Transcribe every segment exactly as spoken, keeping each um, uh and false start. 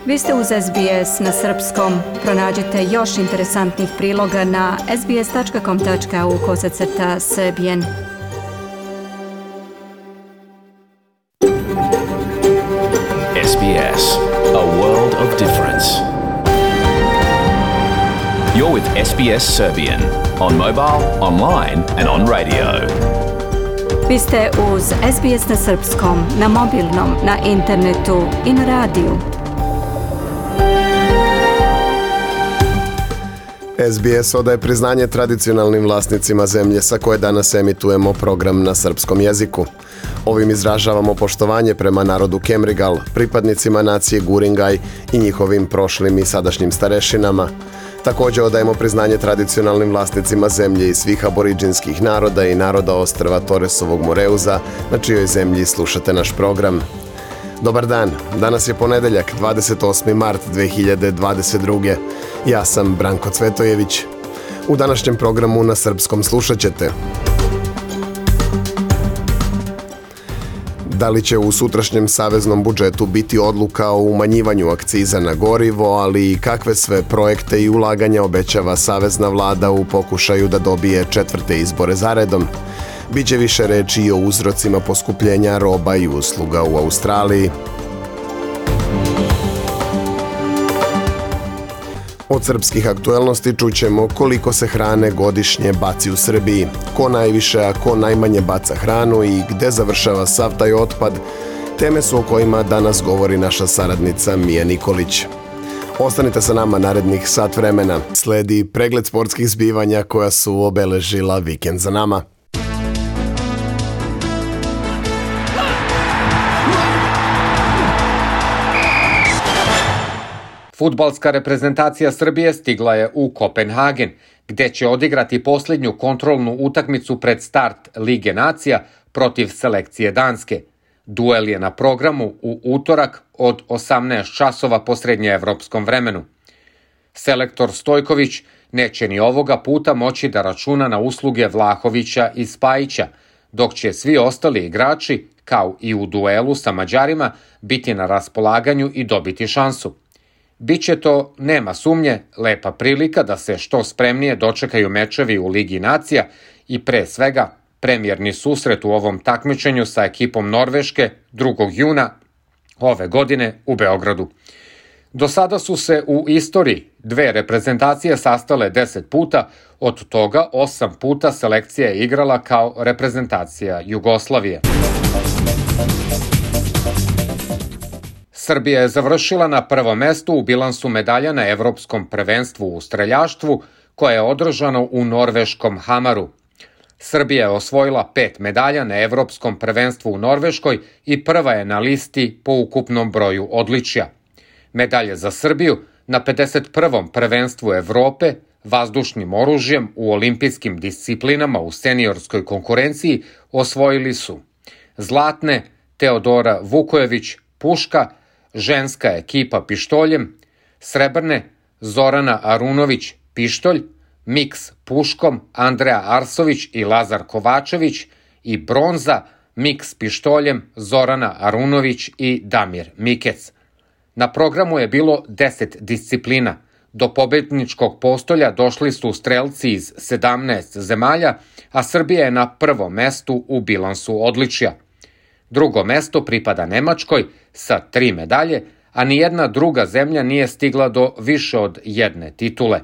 Vi ste uz S B S na srpskom. Pronađite još interesantnih priloga na sbs.com.au kosacrta srbijen. S B S, a world of difference. You're with S B S Serbian on mobile, online and on radio. Vi ste uz S B S na srpskom, na mobilnom, na internetu i na radiju. S B S odaje priznanje tradicionalnim vlasnicima zemlje sa koje danas emitujemo program na srpskom jeziku. Ovim izražavamo poštovanje prema narodu Kemrigal, pripadnicima nacije Guringaj i njihovim prošlim i sadašnjim starešinama. Također odajemo priznanje tradicionalnim vlasnicima zemlje i svih aboriđinskih naroda i naroda ostrva Toresovog Moreuza, na čijoj zemlji slušate naš program. Dobar dan, danas je ponedeljak, dvadeset osmi mart dve hiljade dvadeset druge. Ja sam Branko Cvetojević. U današnjem programu na srpskom slušat ćete: da li će u sutrašnjem saveznom budžetu biti odluka o umanjivanju akciza na gorivo, ali i kakve sve projekte i ulaganja obećava savezna vlada u pokušaju da dobije četvrte izbore zaredom. Biće više reči i o uzrocima poskupljenja roba i usluga u Australiji. Od srpskih aktuelnosti čućemo koliko se hrane godišnje baci u Srbiji, ko najviše, a ko najmanje baca hranu i gde završava sav taj otpad. Teme su o kojima danas govori naša saradnica Mija Nikolić. Ostanite sa nama narednih sat vremena. Sledi pregled sportskih zbivanja koja su obeležila vikend za nama. Fudbalska reprezentacija Srbije stigla je u Kopenhagen, gde će odigrati posljednju kontrolnu utakmicu pred start Lige nacija protiv selekcije Danske. Duel je na programu u utorak od osamnaest časova po srednjeevropskom vremenu. Selektor Stojković neće ni ovoga puta moći da računa na usluge Vlahovića i Spajića, dok će svi ostali igrači, kao i u duelu sa Mađarima, biti na raspolaganju i dobiti šansu. Biće to, nema sumnje, lepa prilika da se što spremnije dočekaju mečevi u Ligi nacija i pre svega premijerni susret u ovom takmičenju sa ekipom Norveške drugog juna ove godine u Beogradu. Do sada su se u istoriji dve reprezentacije sastale deset puta, od toga osam puta selekcija je igrala kao reprezentacija Jugoslavije. Srbija je završila na prvom mestu u bilansu medalja na Evropskom prvenstvu u streljaštvu, koje je održano u norveškom Hamaru. Srbija je osvojila pet medalja na Evropskom prvenstvu u Norveškoj i prva je na listi po ukupnom broju odličja. Medalje za Srbiju na pedeset prvom prvenstvu Evrope vazdušnim oružjem u olimpijskim disciplinama u seniorskoj konkurenciji osvojili su zlatne Teodora Vukojević puška, ženska ekipa pištoljem, srebrne Zorana Arunović pištolj, miks puškom Andreja Arsović i Lazar Kovačević i bronza miks pištoljem Zorana Arunović i Damir Mikec. Na programu je bilo deset disciplina. Do pobedničkog postolja došli su strelci iz sedamnaest zemalja, a Srbija je na prvom mestu u bilansu odličja. Drugo mesto pripada Nemačkoj sa tri medalje, a nijedna druga zemlja nije stigla do više od jedne titule.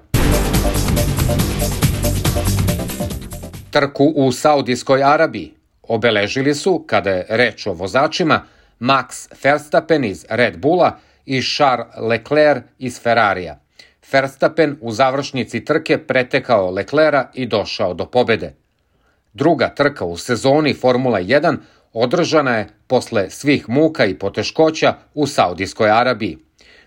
Trku u Saudijskoj Arabiji obeležili su, kada je reč o vozačima, Max Verstappen iz Red Bulla i Charles Leclerc iz Ferrarija. Verstappen u završnici trke pretekao Leclerca i došao do pobede. Druga trka u sezoni Formula jedan održana je posle svih muka i poteškoća u Saudijskoj Arabiji.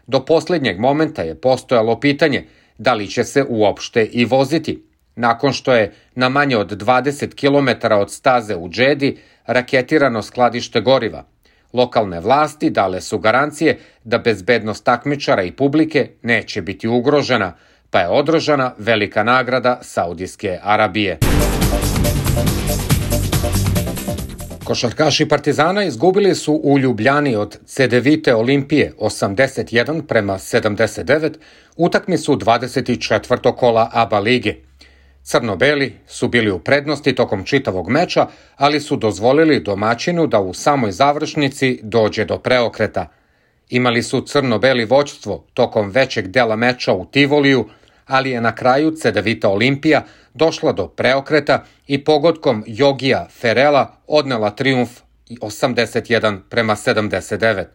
Do posljednjeg momenta je postojalo pitanje da li će se uopšte i voziti, nakon što je na manje od dvadeset kilometara od staze u Džedi raketirano skladište goriva. Lokalne vlasti dale su garancije da bezbednost takmičara i publike neće biti ugrožena, pa je održana velika nagrada Saudijske Arabije. Košarkaši Partizana izgubili su u Ljubljani od Cedevite Olimpije osamdeset jedan prema sedamdeset devet utakmicu dvadeset četvrtog kola A B A lige. Crno-beli su bili u prednosti tokom čitavog meča, ali su dozvolili domaćinu da u samoj završnici dođe do preokreta. Imali su crno-beli vođstvo tokom većeg dela meča u Tivoliju, ali je na kraju Cedevita Olimpija došla do preokreta i pogodkom Jogija Ferela odnela trijumf osamdeset jedan prema sedamdeset devet.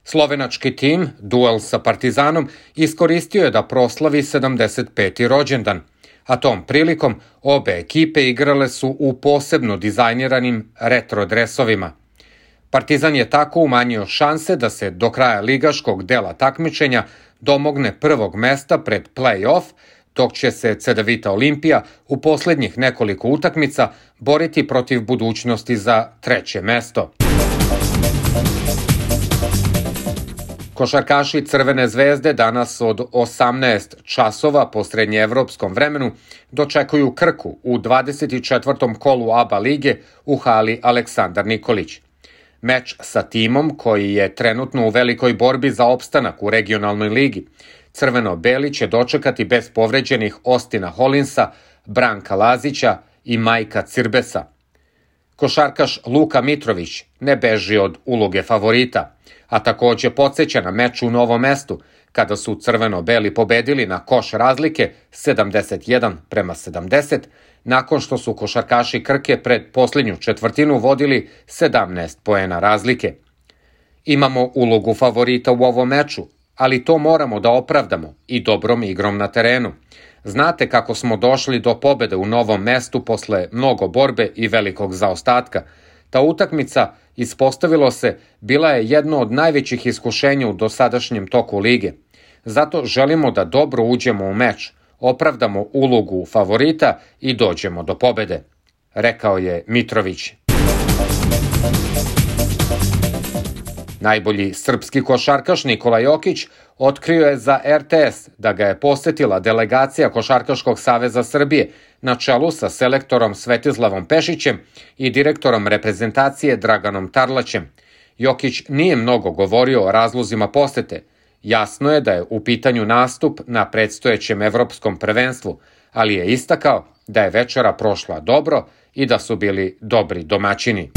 Slovenački tim, duel sa Partizanom, iskoristio je da proslavi sedamdeset peti rođendan, a tom prilikom obe ekipe igrale su u posebno dizajniranim retro dresovima. Partizan je tako umanjio šanse da se do kraja ligaškog dela takmičenja domogne prvog mesta pred play-off, dok će se Cedevita Olimpija u poslednjih nekoliko utakmica boriti protiv budućnosti za treće mesto. Košarkaši Crvene zvezde danas od osamnaest časova po srednjeevropskom vremenu dočekuju Krku u dvadeset četvrtom kolu A B A lige u hali Aleksandar Nikolić. Meč sa timom koji je trenutno u velikoj borbi za opstanak u regionalnoj ligi. Crveno-beli će dočekati bez povređenih Ostina Holinsa, Branka Lazića i Majka Cirbesa. Košarkaš Luka Mitrović ne beži od uloge favorita, a takođe podsjeća na meč u Novom Mestu, kada su crveno-beli pobedili na koš razlike sedamdeset jedan prema sedamdeset, nakon što su košarkaši Krke pred posljednju četvrtinu vodili sedamnaest poena razlike. Imamo ulogu favorita u ovom meču, ali to moramo da opravdamo i dobrom igrom na terenu. Znate kako smo došli do pobede u Novom Mestu posle mnogo borbe i velikog zaostatka. Ta utakmica, ispostavilo se, bila je jedno od najvećih iskušenja u dosadašnjem toku lige. Zato želimo da dobro uđemo u meč, opravdamo ulogu favorita i dođemo do pobede, rekao je Mitrović. Najbolji srpski košarkaš Nikola Jokić otkrio je za R T S da ga je posetila delegacija Košarkaškog saveza Srbije na čelu sa selektorom Svetislavom Pešićem i direktorom reprezentacije Draganom Tarlaćem. Jokić nije mnogo govorio o razlozima posete. Jasno je da je u pitanju nastup na predstojećem evropskom prvenstvu, ali je istakao da je večera prošla dobro i da su bili dobri domaćini.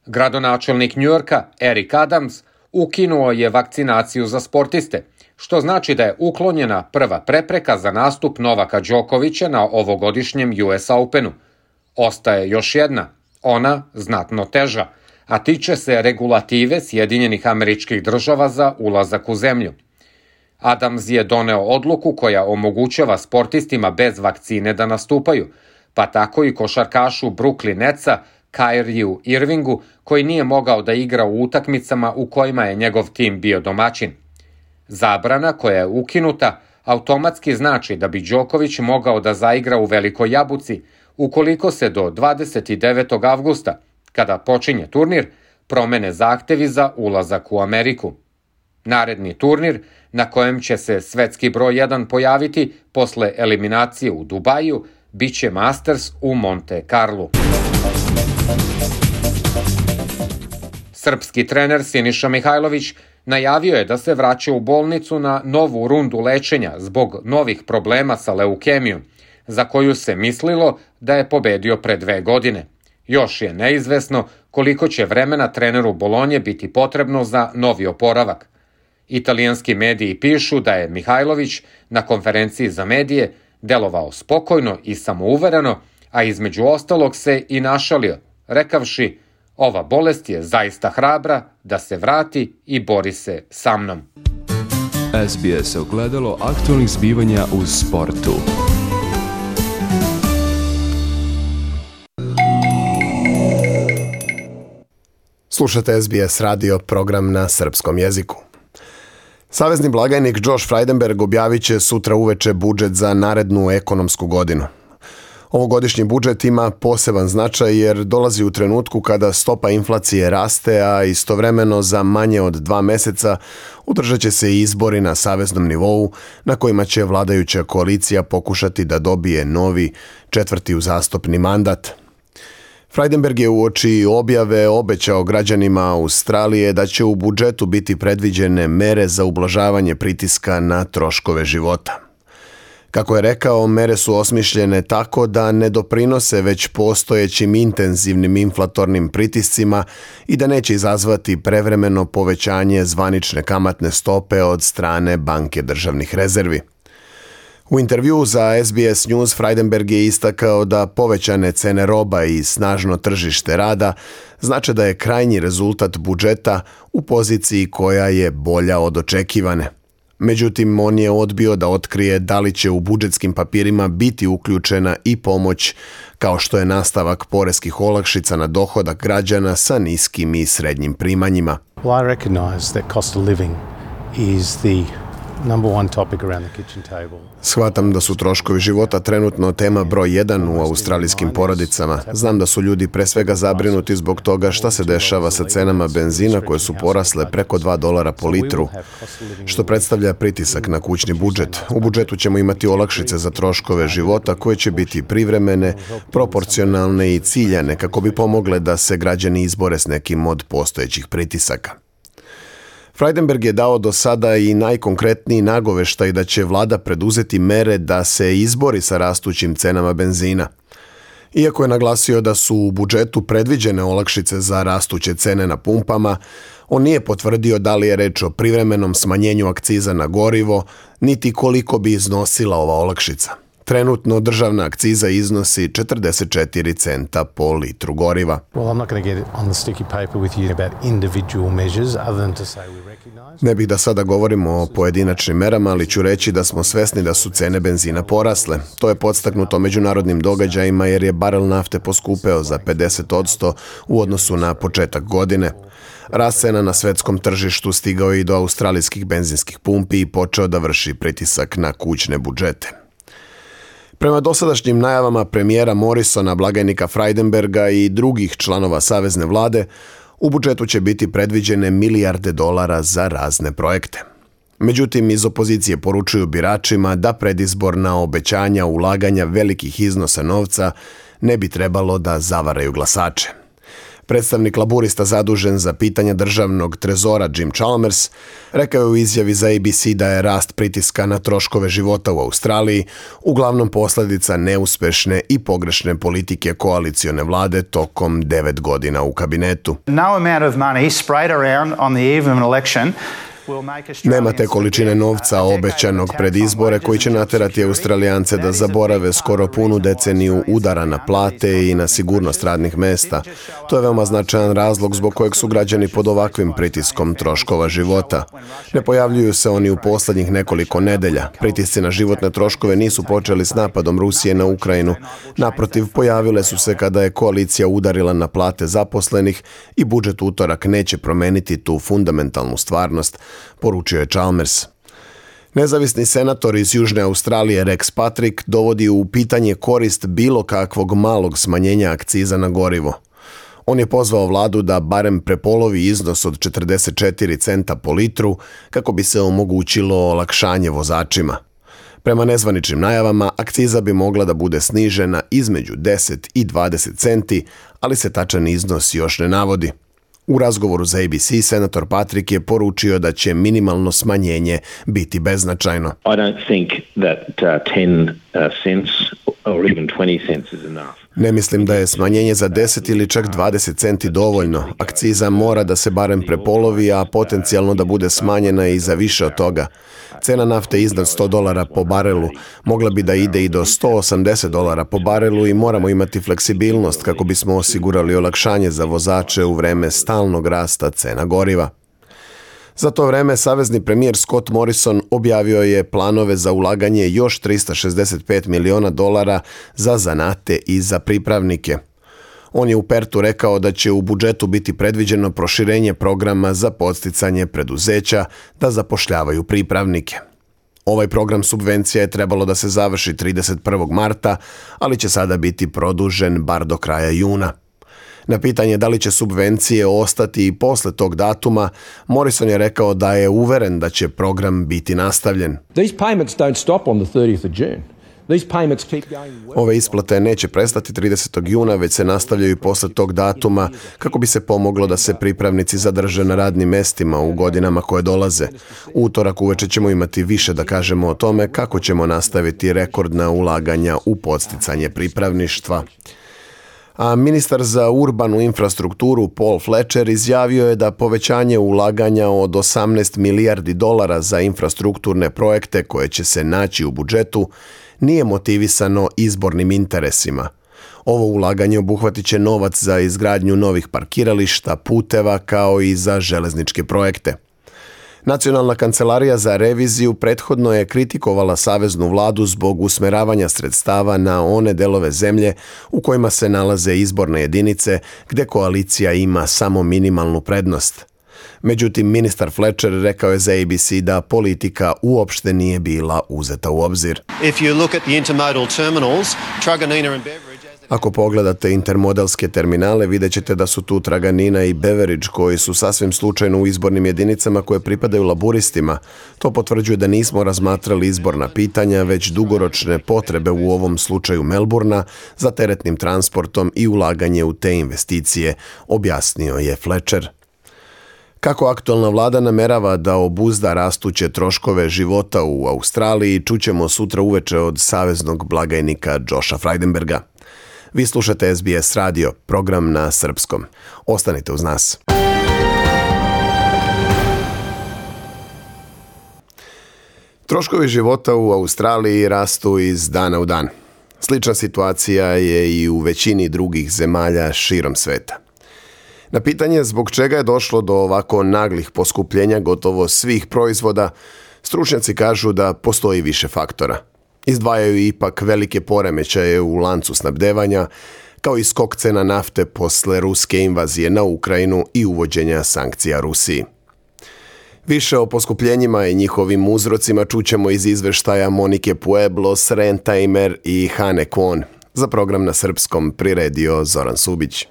Gradonačelnik Njujorka Eric Adams ukinuo je vakcinaciju za sportiste, što znači da je uklonjena prva prepreka za nastup Novaka Đokovića na ovogodišnjem U S Openu. Ostaje još jedna, ona znatno teža, a tiče se regulative Sjedinjenih Američkih Država za ulazak u zemlju. Adams je doneo odluku koja omogućava sportistima bez vakcine da nastupaju, pa tako i košarkašu Brooklyn Netsa Kyrieju Irvingu, koji nije mogao da igra u utakmicama u kojima je njegov tim bio domaćin. Zabrana koja je ukinuta automatski znači da bi Đoković mogao da zaigra u Velikoj Jabuci ukoliko se do dvadeset devetog avgusta, kada počinje turnir, promene zahtevi za ulazak u Ameriku. Naredni turnir, na kojem će se svetski broj jedan pojaviti posle eliminacije u Dubaju, biće Masters u Monte Carlu. Srpski trener Siniša Mihajlović najavio je da se vraća u bolnicu na novu rundu lečenja zbog novih problema sa leukemijom, za koju se mislilo da je pobedio pre dve godine. Još je neizvesno koliko će vremena treneru Bolonje biti potrebno za novi oporavak. Italijanski mediji pišu da je Mihajlović na konferenciji za medije delovao spokojno i samouvereno, a između ostalog se i našalio, rekavši: "Ova bolest je zaista hrabra da se vrati i bori se sa mnom." S B S ogledalo aktualnih zbivanja u sportu. Slušate S B S radio, program na srpskom jeziku. Savezni blagajnik Josh Frydenberg objavit će sutra uveče budžet za narednu ekonomsku godinu. Ovogodišnji budžet ima poseban značaj jer dolazi u trenutku kada stopa inflacije raste, a istovremeno za manje od dva meseca održat će se i izbori na saveznom nivou na kojima će vladajuća koalicija pokušati da dobije novi četvrti uzastopni mandat. Frydenberg je uoči objave obećao građanima Australije da će u budžetu biti predviđene mere za ublažavanje pritiska na troškove života. Kako je rekao, mere su osmišljene tako da ne doprinose već postojećim intenzivnim inflatornim pritiscima i da neće izazvati prevremeno povećanje zvanične kamatne stope od strane Banke državnih rezervi. U intervjuu za S B S News Frydenberg je istakao da povećane cene roba i snažno tržište rada znače da je krajnji rezultat budžeta u poziciji koja je bolja od očekivane. Međutim, on je odbio da otkrije da li će u budžetskim papirima biti uključena i pomoć, kao što je nastavak poreskih olakšica na dohodak građana sa niskim i srednjim primanjima. Well, I recognize that cost of living is the number one topic around the kitchen table. Shvatam da su troškovi života trenutno tema broj jedan u australijskim porodicama. Znam da su ljudi pre svega zabrinuti zbog toga šta se dešava sa cenama benzina koje su porasle preko dva dolara po litru, što predstavlja pritisak na kućni budžet. U budžetu ćemo imati olakšice za troškove života koje će biti privremene, proporcionalne i ciljane kako bi pomogle da se građani izbore s nekim od postojećih pritisaka. Frydenberg je dao do sada i najkonkretniji nagoveštaj da će vlada preduzeti mere da se izbori sa rastućim cenama benzina. Iako je naglasio da su u budžetu predviđene olakšice za rastuće cene na pumpama, on nije potvrdio da li je reč o privremenom smanjenju akciza na gorivo, niti koliko bi iznosila ova olakšica. Trenutno državna akciza iznosi četrdeset četiri centa po litru goriva. Ne bih da sada govorimo o pojedinačnim merama, ali ću reći da smo svesni da su cene benzina porasle. To je podstaknuto međunarodnim događajima jer je barel nafte poskupeo za pedeset posto u odnosu na početak godine. Rast cena na svetskom tržištu stigao i do australijskih benzinskih pumpi i počeo da vrši pritisak na kućne budžete. Prema dosadašnjim najavama premijera Morrisona, blagajnika Frydenberga i drugih članova savezne vlade, u budžetu će biti predviđene milijarde dolara za razne projekte. Međutim, iz opozicije poručuju biračima da predizborna obećanja ulaganja velikih iznosa novca ne bi trebalo da zavaraju glasače. Predstavnik laburista zadužen za pitanja državnog trezora Jim Chalmers rekao je u izjavi za A B C da je rast pritiska na troškove života u Australiji uglavnom posljedica neuspešne i pogrešne politike koalicione vlade tokom devet godina u kabinetu. No amount of money sprayed around on the eve of an election. Nema te količine novca obećanog pred izbore koji će naterati Australijance da zaborave skoro punu deceniju udara na plate i na sigurnost radnih mesta. To je veoma značajan razlog zbog kojeg su građani pod ovakvim pritiskom troškova života. Ne pojavljuju se oni u posljednjih nekoliko nedelja. Pritisci na životne troškove nisu počeli s napadom Rusije na Ukrajinu. Naprotiv, pojavile su se kada je koalicija udarila na plate zaposlenih i budžet utorak neće promeniti tu fundamentalnu stvarnost, poručio je Chalmers. Nezavisni senator iz Južne Australije Rex Patrick dovodi u pitanje korist bilo kakvog malog smanjenja akciza na gorivo. On je pozvao vladu da barem prepolovi iznos od četrdeset četiri centa po litru kako bi se omogućilo olakšanje vozačima. Prema nezvaničnim najavama, akciza bi mogla da bude snižena između deset i dvadeset centi, ali se tačan iznos još ne navodi. U razgovoru za A B C senator Patrick je poručio da će minimalno smanjenje biti beznačajno. I don't think that uh, ten cents or even twenty cents is enough. Ne mislim da je smanjenje za deset ili čak dvadeset centi dovoljno. Akciza mora da se barem prepolovi, a potencijalno da bude smanjena i za više od toga. Cena nafte iznad sto dolara po barelu mogla bi da ide i do sto osamdeset dolara po barelu i moramo imati fleksibilnost kako bismo osigurali olakšanje za vozače u vreme stalnog rasta cena goriva. Za to vreme savezni premijer Scott Morrison objavio je planove za ulaganje još trista šezdeset pet miliona dolara za zanate i za pripravnike. On je u Pertu rekao da će u budžetu biti predviđeno proširenje programa za podsticanje preduzeća da zapošljavaju pripravnike. Ovaj program subvencija je trebalo da se završi trideset prvog marta, ali će sada biti produžen bar do kraja juna. Na pitanje da li će subvencije ostati i posle tog datuma, Morrison je rekao da je uveren da će program biti nastavljen. These payments don't stop on the thirtieth of June. These payments keep going well. Ove isplate neće prestati tridesetog juna, već se nastavljaju i posle tog datuma kako bi se pomoglo da se pripravnici zadrže na radnim mestima u godinama koje dolaze. U utorak uveče ćemo imati više da kažemo o tome kako ćemo nastaviti rekordna ulaganja u podsticanje pripravništva. A ministar za urbanu infrastrukturu Paul Fletcher izjavio je da povećanje ulaganja od osamnaest milijardi dolara za infrastrukturne projekte koje će se naći u budžetu nije motivisano izbornim interesima. Ovo ulaganje obuhvatit će novac za izgradnju novih parkirališta, puteva kao i za železničke projekte. Nacionalna kancelarija za reviziju prethodno je kritikovala saveznu vladu zbog usmeravanja sredstava na one delove zemlje u kojima se nalaze izborne jedinice gde koalicija ima samo minimalnu prednost. Međutim, ministar Fletcher rekao je za A B C da politika uopšte nije bila uzeta u obzir. If you look at the intermodal terminals, Truganina and Beveridge. Ako pogledate intermodalske terminale, vidjet ćete da su tu Truganina i Beveridge koji su sasvim slučajno u izbornim jedinicama koje pripadaju laburistima. To potvrđuje da nismo razmatrali izborna pitanja, već dugoročne potrebe u ovom slučaju Melburna za teretnim transportom i ulaganje u te investicije, objasnio je Fletcher. Kako aktualna vlada namerava da obuzda rastuće troškove života u Australiji, čućemo sutra uveče od saveznog blagajnika Josha Frydenberga. Vi slušate S B S radio, program na srpskom. Ostanite uz nas. Troškovi života u Australiji rastu iz dana u dan. Slična situacija je i u većini drugih zemalja širom sveta. Na pitanje zbog čega je došlo do ovako naglih poskupljenja gotovo svih proizvoda, stručnjaci kažu da postoji više faktora. Izdvajaju ipak velike poremećaje u lancu snabdevanja, kao i skok cena nafte posle ruske invazije na Ukrajinu i uvođenja sankcija Rusiji. Više o poskupljenjima i njihovim uzrocima čućemo iz izveštaja Monike Pueblos, Rentaimer i Hane Kwon. Za program na srpskom priredio Zoran Subić.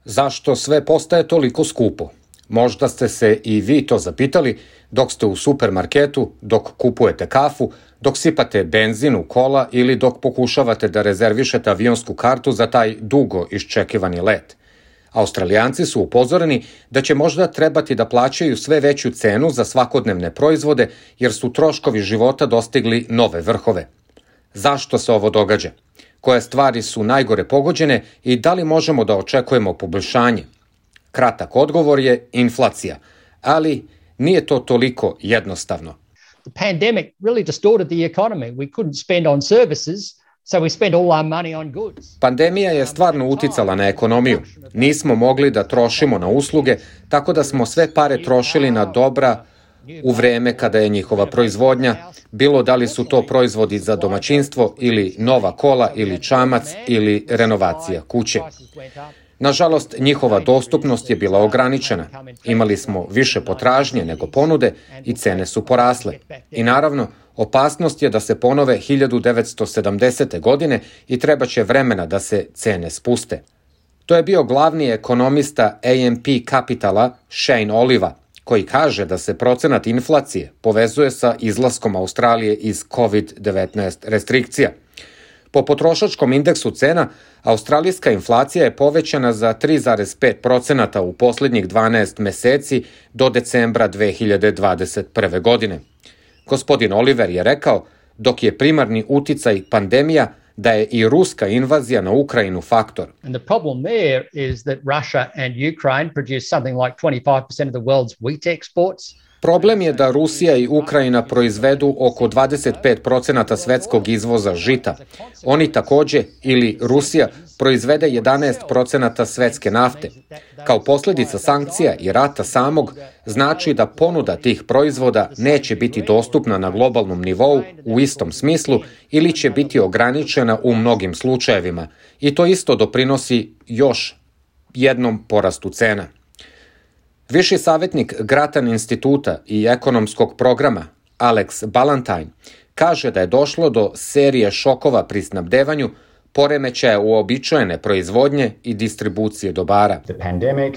Zašto sve postaje toliko skupo? Možda ste se i vi to zapitali dok ste u supermarketu, dok kupujete kafu, dok sipate benzin u kola ili dok pokušavate da rezervišete avionsku kartu za taj dugo iščekivani let. Australijanci su upozoreni da će možda trebati da plaćaju sve veću cenu za svakodnevne proizvode jer su troškovi života dostigli nove vrhove. Zašto se ovo događa? Koje stvari su najgore pogođene i da li možemo da očekujemo poboljšanje? Kratak odgovor je inflacija, ali nije to toliko jednostavno. The pandemic really distorted the economy. We couldn't spend on services, so we spent all our money on goods. Pandemija je stvarno uticala na ekonomiju. Nismo mogli da trošimo na usluge, tako da smo sve pare trošili na dobra u vreme kada je njihova proizvodnja, bilo da li su to proizvodi za domaćinstvo ili nova kola ili čamac ili renovacija kuće. Nažalost, njihova dostupnost je bila ograničena. Imali smo više potražnje nego ponude i cene su porasle. I naravno, opasnost je da se ponove hiljadu devetsto sedamdesete. godine i trebaće vremena da se cene spuste. To je bio glavni ekonomista A M P Capitala Shane Oliva, koji kaže da se procenat inflacije povezuje sa izlaskom Australije iz kovid devetnaest restrikcija. Po potrošačkom indeksu cena, australijska inflacija je povećana za tri zarez pet posto u posljednjih dvanaest meseci do decembra dve hiljade dvadeset prve. godine. Gospodin Oliver je rekao, dok je primarni uticaj pandemija, da je i ruska invazija na Ukrajinu faktor. And the problem there is that Russia and Ukraine produce something like twenty-five percent of the world's wheat exports. Problem je da Rusija i Ukrajina proizvedu oko dvadeset pet posto svetskog izvoza žita. Oni takođe, ili Rusija, proizvede jedanaest posto svetske nafte. Kao posljedica sankcija i rata samog, znači da ponuda tih proizvoda neće biti dostupna na globalnom nivou u istom smislu ili će biti ograničena u mnogim slučajevima. I to isto doprinosi još jednom porastu cena. Viši savjetnik Grattan instituta i ekonomskog programa Alex Ballantyne, kaže da je došlo do serije šokova pri snabdevanju, poremećaja uobičajene proizvodnje i distribucije dobara. The pandemic,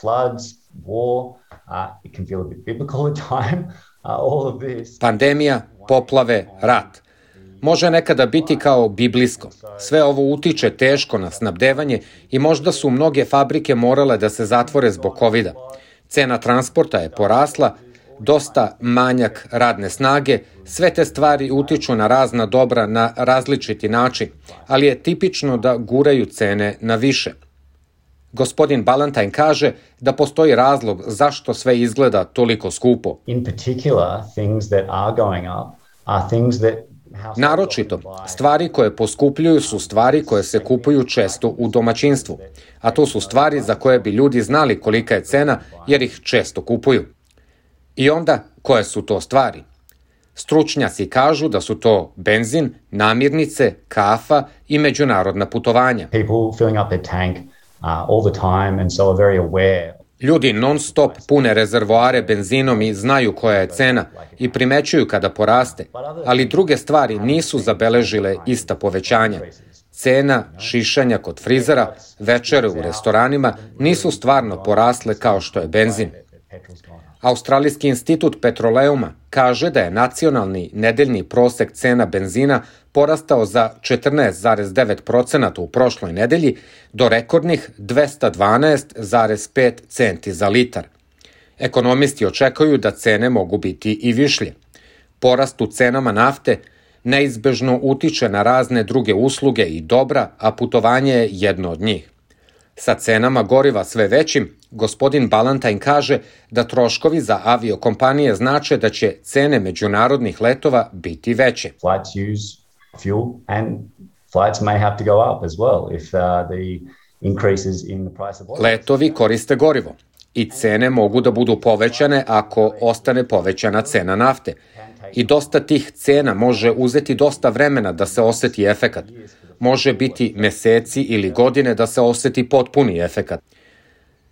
floods, war, uh, it can feel a bit biblical at time. Uh, all of this. Pandemija, poplave, rat. Može nekada biti kao biblijsko. Sve ovo utiče teško na snabdevanje i možda su mnoge fabrike morale da se zatvore zbog kovida. Cena transporta je porasla, dosta manjak radne snage, sve te stvari utiču na razna dobra na različiti način, ali je tipično da guraju cene na više. Gospodin Ballantyne kaže da postoji razlog zašto sve izgleda toliko skupo. In particular, things that are going up are things that Naročito, stvari koje poskupljuju su stvari koje se kupuju često u domaćinstvu, a to su stvari za koje bi ljudi znali kolika je cena jer ih često kupuju. I onda, koje su to stvari? Stručnjaci kažu da su to benzin, namirnice, kafa i međunarodna putovanja. People filling up their tank uh, all the time and so are very aware. Ljudi non-stop pune rezervoare benzinom i znaju koja je cena i primećuju kada poraste, ali druge stvari nisu zabeležile ista povećanja. Cena šišanja kod frizera, večere u restoranima nisu stvarno porasle kao što je benzin. Australijski institut Petroleuma kaže da je nacionalni nedeljni prosek cena benzina porastao za četrnaest zarez devet posto u prošloj nedelji do rekordnih dvesta dvanaest zarez pet centi za litar. Ekonomisti očekuju da cene mogu biti i višlje. Porast u cenama nafte neizbežno utiče na razne druge usluge i dobra, a putovanje je jedno od njih. Sa cenama goriva sve većim, gospodin Ballantyne kaže da troškovi za aviokompanije znače da će cene međunarodnih letova biti veće. Flights use fuel and flights may have to go up as well if uh, the increases in the price of oil. Letovi koriste gorivo i cene mogu da budu povećane ako ostane povećana cena nafte. I dosta tih cena može uzeti dosta vremena da se oseti efekat. Može biti meseci ili godine da se oseti potpuni efekat.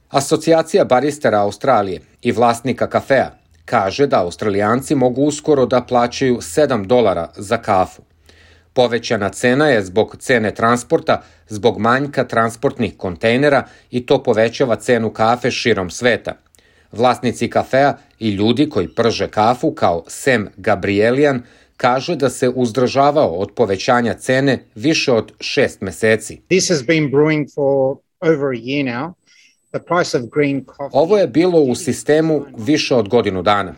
Asocijacija baristera Australije i vlasnika kafea kaže da Australijanci mogu uskoro da plaćaju sedam dolara za kafu. Povećana cena je zbog cene transporta, zbog manjka transportnih kontejnera i to povećava cenu kafe širom sveta. Vlasnici kafea i ljudi koji prže kafu kao Sam Gabrielian kaže da se uzdržavao od povećanja cene više od šest meseci. This has been brewing for over a year now. The price of green coffee... Ovo je bilo u sistemu više od godinu dana.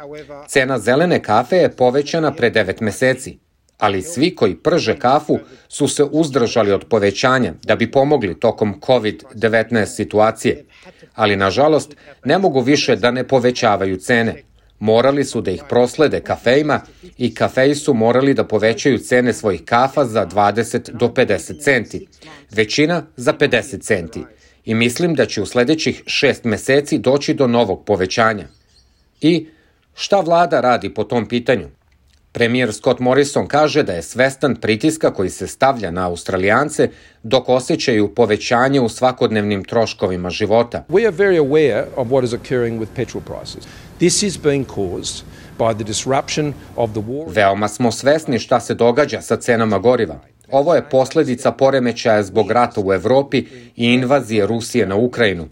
Cena zelene kafe je povećana pre devet meseci, ali svi koji prže kafu su se uzdržali od povećanja da bi pomogli tokom kovid devetnaest situacije, ali nažalost ne mogu više da ne povećavaju cene. Morali su da ih proslede kafejima i kafeji su morali da povećaju cene svojih kafa za dvadeset do pedeset centi, većina za pedeset centi. I mislim da će u sledećih šest meseci doći do novog povećanja. I šta vlada radi po tom pitanju? Premijer Scott Morrison kaže da je svestan pritiska koji se stavlja na Australijance dok osjećaju povećanje u svakodnevnim troškovima života. We are very aware of what is occurring with petrol prices. This is being caused by the disruption of the war. Veoma smo svesni šta se događa sa cenama goriva. Ovo je posledica poremećaja zbog rata u Evropi i invazije Rusije na Ukrajinu.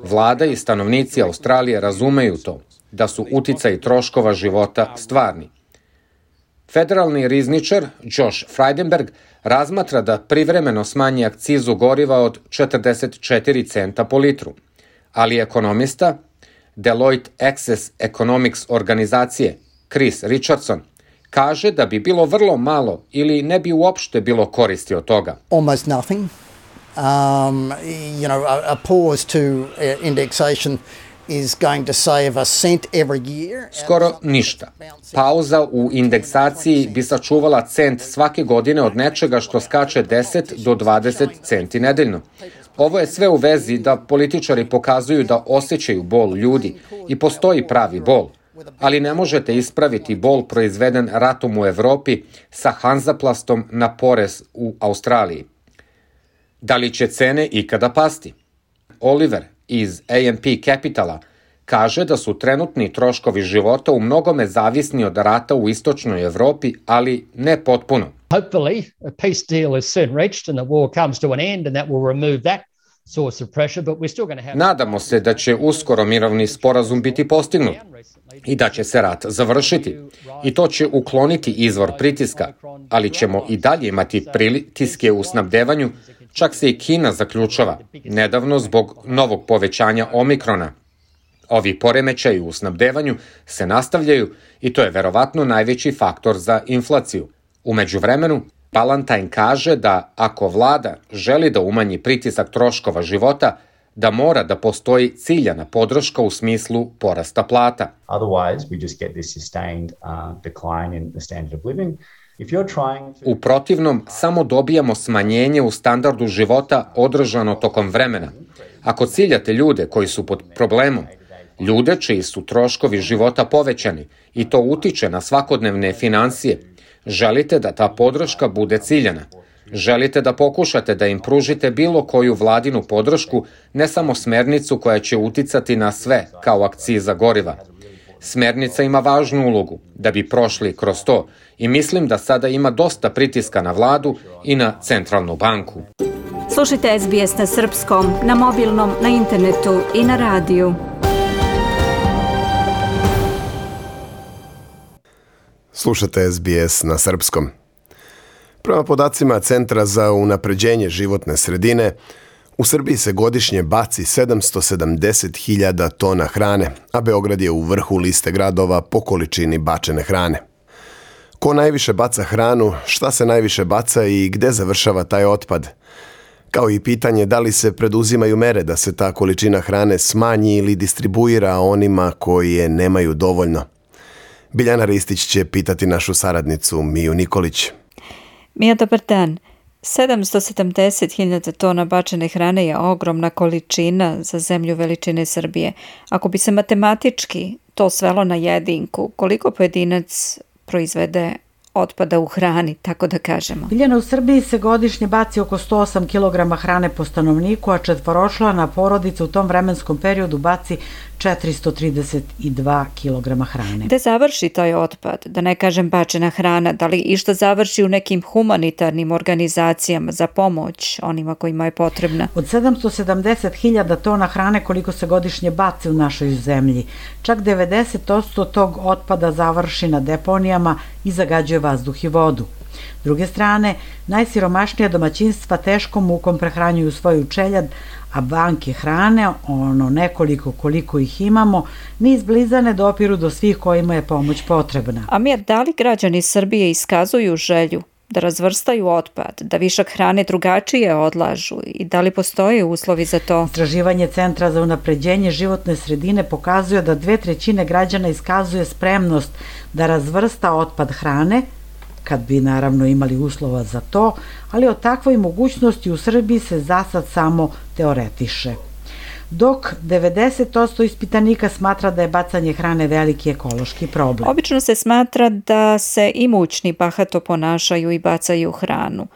Vlada i stanovnici Australije razumeju to, da su uticaji troškova života stvarni. Federalni rizničar Josh Frydenberg razmatra da privremeno smanji akcizu goriva od četrdeset četiri centa po litru, ali ekonomista Deloitte Access Economics organizacije Chris Richardson kaže da bi bilo vrlo malo ili ne bi uopšte bilo koristi od toga. Almost nothing. Um, you know, a, a pause to uh, indexation is going to save a cent every year. Skoro ništa. Pauza u indeksaciji bi sačuvala cent svake godine od nečega što skače deset do dvadeset centi nedeljno. Ovo je sve u vezi da političari pokazuju da osjećaju bol ljudi i postoji pravi bol, ali ne možete ispraviti bol proizveden ratom u Evropi sa Hanzaplastom na porez u Australiji. Da li će cene ikada pasti? Oliver iz A M P Capitala kaže da su trenutni troškovi života u mnogome zavisni od rata u istočnoj Evropi, ali ne potpuno. Hopefully, a peace deal is soon reached and the war comes to an end and that will remove that source of pressure, but we're still going to have... Nadamo se da će uskoro mirovni sporazum biti postignut i da će se rat završiti. I to će ukloniti izvor pritiska, ali ćemo i dalje imati pritiske u snabdevanju, čak se i Kina zaključava, nedavno zbog novog povećanja omikrona. Ovi poremećaji u snabdevanju se nastavljaju i to je verovatno najveći faktor za inflaciju. U međuvremenu, Ballantyne kaže da ako vlada želi da umanji pritisak troškova života, da mora da postoji ciljana podrška u smislu porasta plata. Otherwise, we just get this sustained uh, decline in the standard of living. If you're trying to... U protivnom, samo dobijamo smanjenje u standardu života održano tokom vremena. Ako ciljate ljude koji su pod problemom, ljude čiji su troškovi života povećani i to utiče na svakodnevne financije, želite da ta podrška bude ciljana. Želite da pokušate da im pružite bilo koju vladinu podršku, ne samo smernicu koja će uticati na sve, kao akciza goriva. Smernica ima važnu ulogu da bi prošli kroz to i mislim da sada ima dosta pritiska na vladu i na centralnu banku. Slušajte S B S na srpskom, na mobilnom, na internetu i na radiju. Slušate S B S na srpskom. Prema podacima Centra za unapređenje životne sredine, u Srbiji se godišnje baci sedamsto sedamdeset hiljada tona hrane, a Beograd je u vrhu liste gradova po količini bačene hrane. Ko najviše baca hranu, šta se najviše baca i gde završava taj otpad? Kao i pitanje da li se preduzimaju mere da se ta količina hrane smanji ili distribuira onima koji je nemaju dovoljno. Biljana Ristić će pitati našu saradnicu Miju Nikolić. Mija, dobar dan. sedamsto sedamdeset hiljada tona bačene hrane je ogromna količina za zemlju veličine Srbije. Ako bi se matematički to svelo na jedinku, koliko pojedinac proizvede otpada u hrani, tako da kažemo? Biljana, u Srbiji se godišnje baci oko sto osam kilograma hrane po stanovniku, a četvoročlana porodica u tom vremenskom periodu baci četiristo trideset dva kilograma hrane. Gde završi taj otpad? Da ne kažem bačena hrana, da li išta završi u nekim humanitarnim organizacijama za pomoć onima kojima je potrebna? Od sedamsto sedamdeset hiljada tona hrane koliko se godišnje baci u našoj zemlji, čak devedeset posto tog otpada završi na deponijama i zagađuje vazduh i vodu. S druge strane, najsiromašnija domaćinstva teškom mukom prehranjuju svoju čeljad, a banke hrane, ono nekoliko koliko ih imamo, ni izbliza ne dopiru do svih kojima je pomoć potrebna. A mi, da li građani Srbije iskazuju želju da razvrstaju otpad, da višak hrane drugačije odlažu i da li postoje uslovi za to? Istraživanje Centra za unapređenje životne sredine pokazuje da dve trećine građana iskazuje spremnost da razvrsta otpad hrane, kad bi naravno imali uslova za to, ali o takvoj mogućnosti u Srbiji se za sad samo teoretiše. Dok devedeset posto ispitanika smatra da je bacanje hrane veliki ekološki problem. Obično se smatra da se imućni bahato ponašaju i bacaju hranu.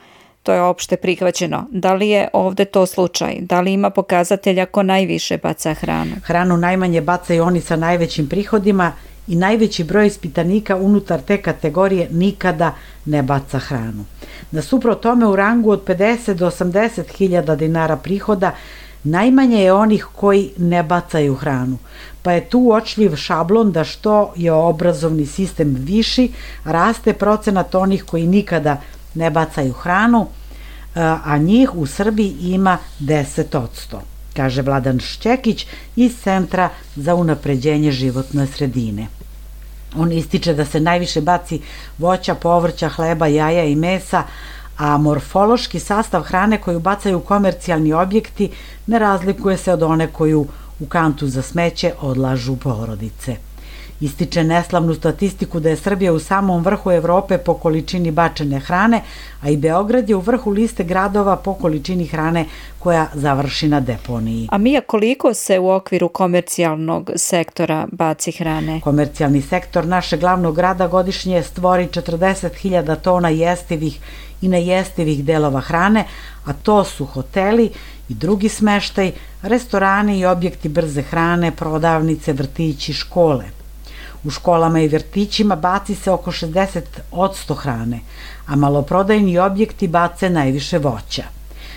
To je opšte prihvaćeno. Da li je ovde to slučaj? Da li ima pokazatelja ko najviše baca hranu? Hranu najmanje bacaju oni sa najvećim prihodima i najveći broj ispitanika unutar te kategorije nikada ne baca hranu. Nasuprot tome, u rangu od pedeset do osamdeset hiljada dinara prihoda najmanje je onih koji ne bacaju hranu, pa je tu uočljiv šablon da što je obrazovni sistem viši, raste procenat onih koji nikada ne bacaju hranu, a njih u Srbiji ima deset posto, kaže Vladan Šćekić iz Centra za unapređenje životne sredine. On ističe da se najviše baci voća, povrća, hleba, jaja i mesa, a morfološki sastav hrane koju bacaju komercijalni objekti ne razlikuje se od one koju u kantu za smeće odlažu porodice. Ističe neslavnu statistiku da je Srbija u samom vrhu Evrope po količini bačene hrane, a i Beograd je u vrhu liste gradova po količini hrane koja završi na deponiji. A Mija, koliko se u okviru komercijalnog sektora baci hrane? Komercijalni sektor našeg glavnog grada godišnje stvori četrdeset hiljada tona jestivih i nejestivih delova hrane, a to su hoteli i drugi smeštaj, restorani i objekti brze hrane, prodavnice, vrtići, škole. U školama i vrtićima baci se oko šezdeset posto hrane, a maloprodajni objekti bace najviše voća.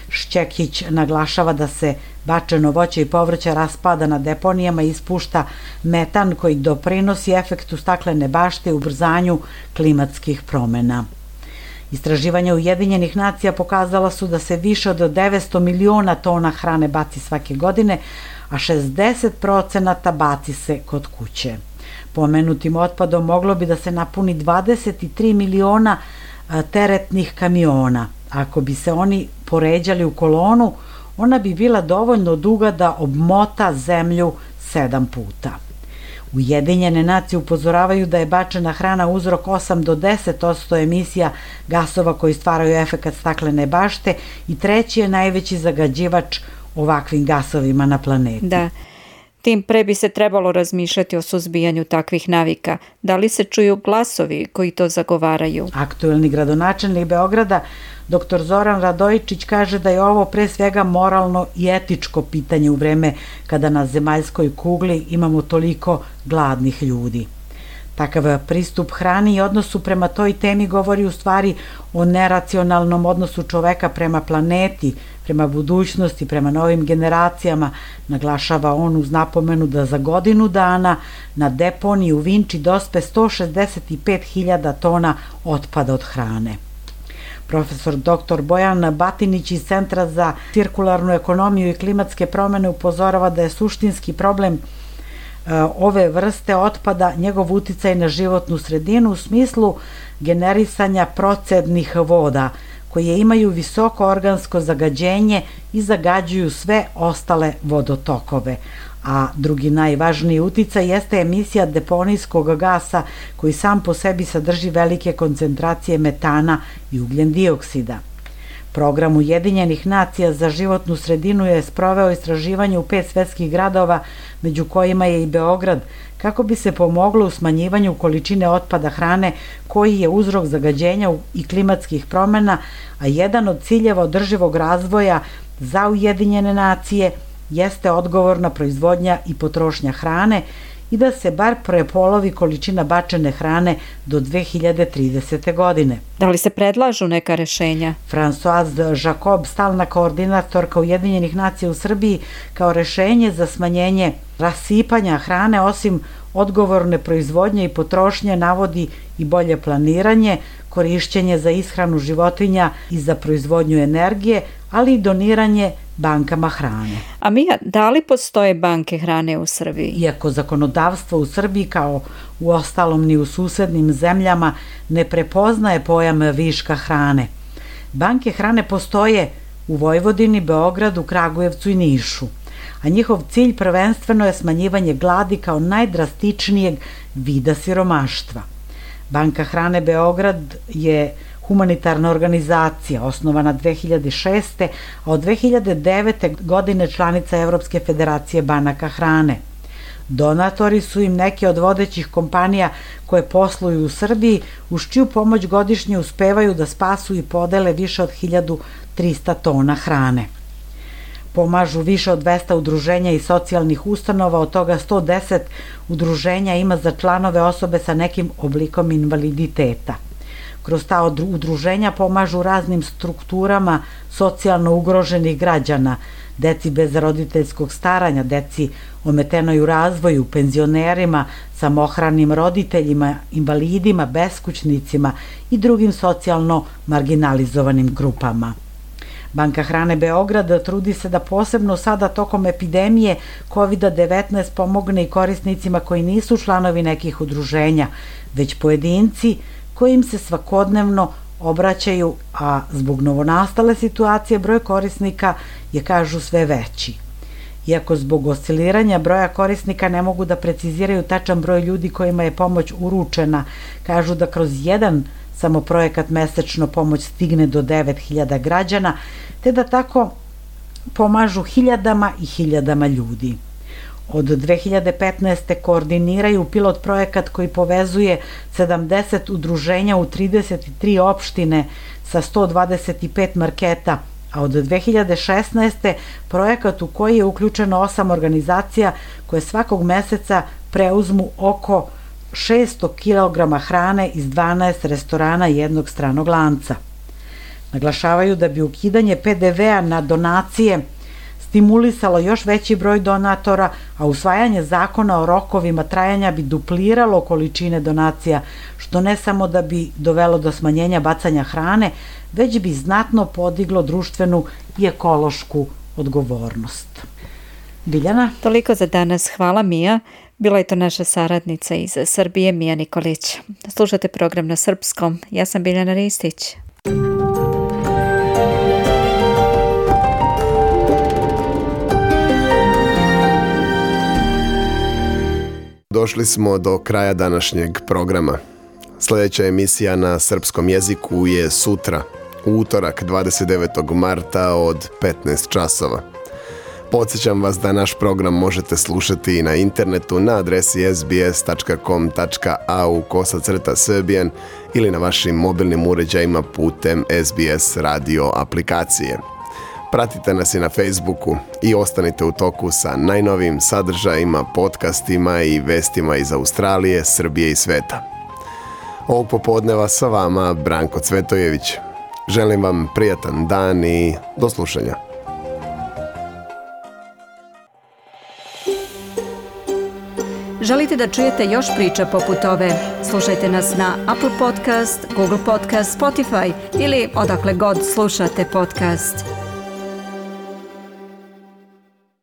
Šćekić naglašava da se bačeno voće i povrće raspada na deponijama i ispušta metan koji doprinosi efektu staklene bašte u ubrzanju klimatskih promena. Istraživanja Ujedinjenih nacija pokazala su da se više od devetsto miliona tona hrane baci svake godine, a šezdeset procenata baci se kod kuće. Pomenutim otpadom moglo bi da se napuni dvadeset tri miliona teretnih kamiona. Ako bi se oni poređali u kolonu, ona bi bila dovoljno duga da obmota zemlju sedam puta. Ujedinjene nacije upozoravaju da je bačena hrana uzrok osam do deset posto emisija gasova koji stvaraju efekat staklene bašte i treći je najveći zagađivač ovakvim gasovima na planeti. Da. Tim pre bi se trebalo razmišljati o suzbijanju takvih navika. Da li se čuju glasovi koji to zagovaraju? Aktuelni gradonačelnik Beograda, doktor Zoran Radojičić, kaže da je ovo pre svega moralno i etičko pitanje u vreme kada na zemaljskoj kugli imamo toliko gladnih ljudi. Takav pristup hrani i odnosu prema toj temi govori u stvari o neracionalnom odnosu čoveka prema planeti, prema budućnosti, prema novim generacijama, naglašava on uz napomenu da za godinu dana na deponiji u Vinči dospe sto šezdeset pet hiljada tona otpada od hrane. Profesor doktor Bojan Batinić iz Centra za cirkularnu ekonomiju i klimatske promene upozorava da je suštinski problem ove vrste otpada njegov uticaj na životnu sredinu u smislu generisanja procednih voda, koje imaju visoko organsko zagađenje i zagađuju sve ostale vodotokove. A drugi najvažniji uticaj jeste emisija deponijskog gasa koji sam po sebi sadrži velike koncentracije metana i ugljen dioksida. Program Ujedinjenih nacija za životnu sredinu je sproveo istraživanje u pet svetskih gradova, među kojima je i Beograd, kako bi se pomoglo u smanjivanju količine otpada hrane koji je uzrok zagađenja i klimatskih promena, a jedan od ciljeva održivog razvoja za Ujedinjene nacije jeste odgovorna proizvodnja i potrošnja hrane i da se bar prepolovi količina bačene hrane do dve hiljade tridesete. godine. Da li se predlažu neka rešenja? Françoise Jacob, stalna koordinatorka Ujedinjenih nacija u Srbiji, kao rešenje za smanjenje rasipanja hrane, osim odgovorne proizvodnje i potrošnje, navodi i bolje planiranje, korišćenje za ishranu životinja i za proizvodnju energije, ali i doniranje bankama hrane. A Mija, da li postoje banke hrane u Srbiji? Iako zakonodavstvo u Srbiji, kao u ostalom ni u susednim zemljama, ne prepoznaje pojam viška hrane. Banke hrane postoje u Vojvodini, Beogradu, Kragujevcu i Nišu, a njihov cilj prvenstveno je smanjivanje gladi kao najdrastičnijeg vida siromaštva. Banka hrane Beograd je humanitarna organizacija osnovana dve hiljade šeste. a od dve hiljade devete. godine članica Evropske federacije banaka hrane. Donatori su im neke od vodećih kompanija koje posluju u Srbiji, uz čiju pomoć godišnje uspevaju da spasu i podele više od hiljadu trista tona hrane. Pomažu više od dvesta udruženja i socijalnih ustanova, od toga sto deset udruženja ima za članove osobe sa nekim oblikom invaliditeta. Kroz ta udruženja pomažu raznim strukturama socijalno ugroženih građana, deci bez roditeljskog staranja, deci ometenoj u razvoju, penzionerima, samohranim roditeljima, invalidima, beskućnicima i drugim socijalno marginalizovanim grupama. Banka hrane Beograd trudi se da posebno sada tokom epidemije kovid devetnaest pomogne i korisnicima koji nisu članovi nekih udruženja, već pojedinci kojim se svakodnevno obraćaju, a zbog novonastale situacije broj korisnika je, kažu, sve veći. Iako zbog osciliranja broja korisnika ne mogu da preciziraju tačan broj ljudi kojima je pomoć uručena, kažu da kroz jedan samo projekat mesečno pomoć stigne do devet hiljada građana, te da tako pomažu hiljadama i hiljadama ljudi. Od dve hiljade petnaeste. koordiniraju pilot projekat koji povezuje sedamdeset udruženja u trideset tri opštine sa sto dvadeset pet marketa, a od dve hiljade šesnaeste. projekat u koji je uključeno osam organizacija koje svakog meseca preuzmu oko šesto kilograma hrane iz dvanaest restorana jednog stranog lanca. Naglašavaju da bi ukidanje pe de vea na donacije stimulisalo još veći broj donatora, a usvajanje zakona o rokovima trajanja bi dupliralo količine donacija, što ne samo da bi dovelo do smanjenja bacanja hrane, već bi znatno podiglo društvenu i ekološku odgovornost. Biljana? Toliko za danas. Hvala, Mija. Bila je to naša saradnica iz Srbije, Mija Nikolić. Slušate program na srpskom. Ja sam Biljana Ristić. Došli smo do kraja današnjeg programa. Sljedeća emisija na srpskom jeziku je sutra, utorak dvadeset devetog marta od petnaest časova. Podsjećam vas da naš program možete slušati i na internetu na adresi es be es tačka com tačka a u kosacrta srbijan ili na vašim mobilnim uređajima putem es be es radio aplikacije. Pratite nas i na Facebooku i ostanite u toku sa najnovijim sadržajima, podcastima i vestima iz Australije, Srbije i sveta. Ovog popodneva sa vama Branko Cvetojević. Želim vam prijatan dan i do slušanja. Želite da čujete još priča poput ove? Slušajte nas na Apple Podcast, Google Podcast, Spotify ili odakle god slušate podcast.